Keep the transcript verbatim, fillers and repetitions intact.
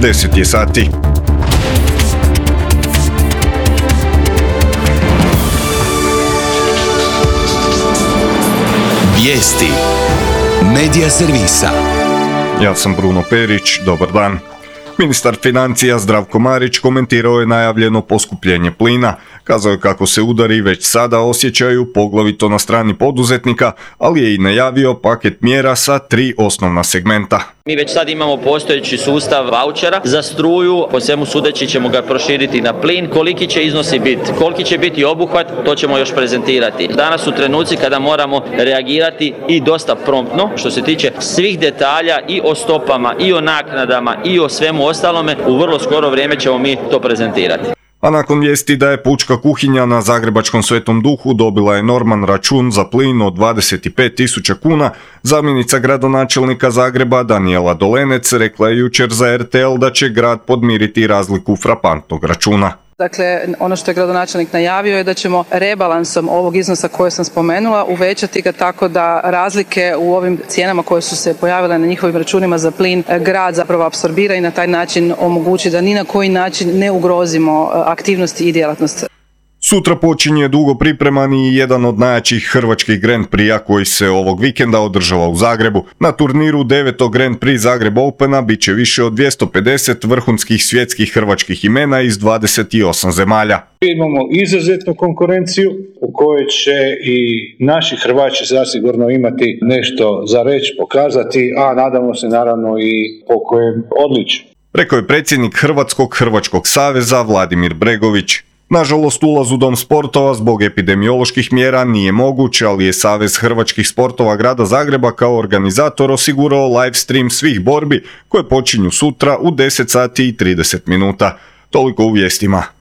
deset je sati. Vijesti Medija servisa. Ja sam Bruno Perić, dobar dan. Ministar financija Zdravko Marić komentirao je najavljeno poskupljenje plina. Kazao je kako se udari već sada osjećaju, poglavito na strani poduzetnika, ali je i najavio paket mjera sa tri osnovna segmenta. Mi već sad imamo postojeći sustav vaučera za struju, po svemu sudeći ćemo ga proširiti na plin. Koliki će iznosi biti, koliki će biti obuhvat, to ćemo još prezentirati. Danas su trenuci kada moramo reagirati i dosta promptno, što se tiče svih detalja i o stopama, i o naknadama, i o svemu ostalome. U vrlo skoro vrijeme ćemo mi to prezentirati. A nakon vijesti da je pučka kuhinja na zagrebačkom Svetom Duhu dobila enorman račun za plin od dvadeset pet tisuća kuna, zamjenica gradonačelnika Zagreba Danijela Dolenec rekla je jučer za er te el da će grad podmiriti razliku frapantnog računa. Dakle, ono što je gradonačelnik najavio je da ćemo rebalansom ovog iznosa koje sam spomenula uvećati ga tako da razlike u ovim cijenama koje su se pojavile na njihovim računima za plin grad zapravo apsorbira i na taj način omogući da ni na koji način ne ugrozimo aktivnosti i djelatnost. Sutra počinje dugo pripremani jedan od najjačih hrvačkih Grand Prix-a koji se ovog vikenda održava u Zagrebu. Na turniru devetog Grand Prix Zagreb Opena bit će više od dvjesto pedeset vrhunskih svjetskih hrvačkih imena iz dvadeset osam zemalja. Imamo izuzetnu konkurenciju u kojoj će i naši Hrvaći zasigurno imati nešto za reći, pokazati, a nadamo se naravno i po kojem odličju. Rekao je predsjednik Hrvatskog Hrvačkog saveza Vladimir Bregović. Nažalost, ulaz u dom sportova zbog epidemioloških mjera nije moguć, ali je Savez hrvačkih sportova grada Zagreba kao organizator osigurao live stream svih borbi koje počinju sutra u deset sati i trideset minuta. Toliko u vijestima.